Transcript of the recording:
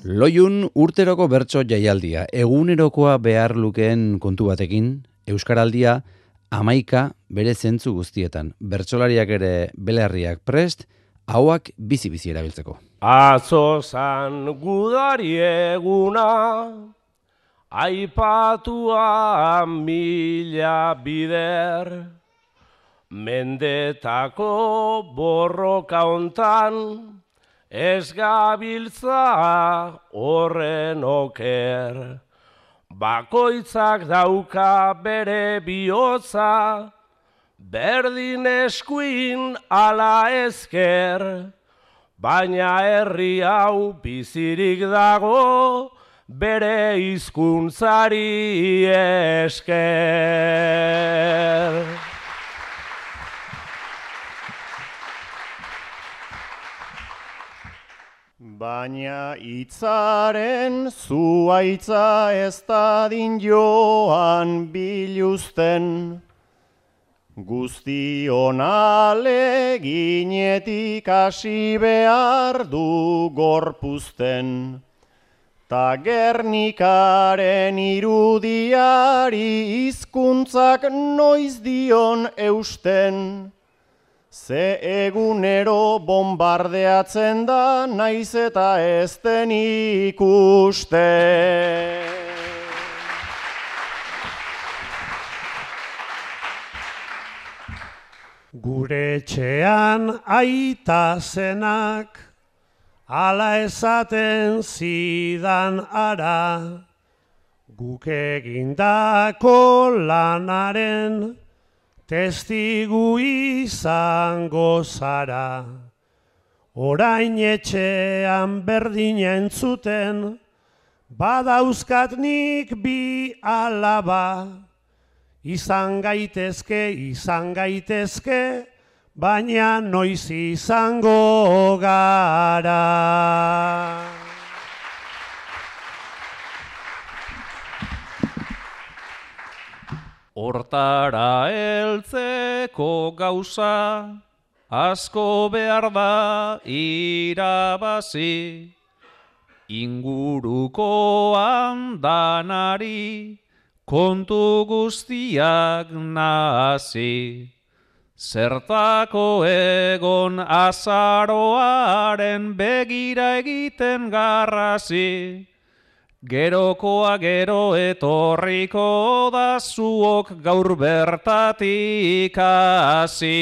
Loiun urteroko bertso jaialdia, egunerokoa behar lukeen kontu batekin, Euskaraldia 11 bere zentzu guztietan. Bertsolariak ere belarriak prest, hauak bizi-bizi erabiltzeko. Atzo zan gudari eguna, aipatua mila bider, mendetako borroka hontan, ez gabiltza horren oker. Bakoitzak dauka bere bihotza, berdin eskuin ala ezker, baina herri hau bizirik dago bere hizkuntzari esker. Baina hitzaren zuhaitza ez dadin joan biluzten, guztion aleginetik hasi behar du gorpuzten. Ta Gernikaren irudiari hizkuntzak noiz dion eusten, ze egunero bombardeatzen da naiz eta ez den ikusten. Gure etxean aita zenak, ala esaten zidan ara, guk egindako lanaren testigu izango zara. Orain etxean berdina entzuten, badauzkat nik bi alaba, izan gaitezke, baina noiz izango gara. Hortara heltzeko gauza, asko behar da irabazi, ingurukoan danari, kontu guztiak nazi. Zertako egon azaroaren begira egiten garrazi, gerokoa gero etorriko da zuok gaur bertatik hasi.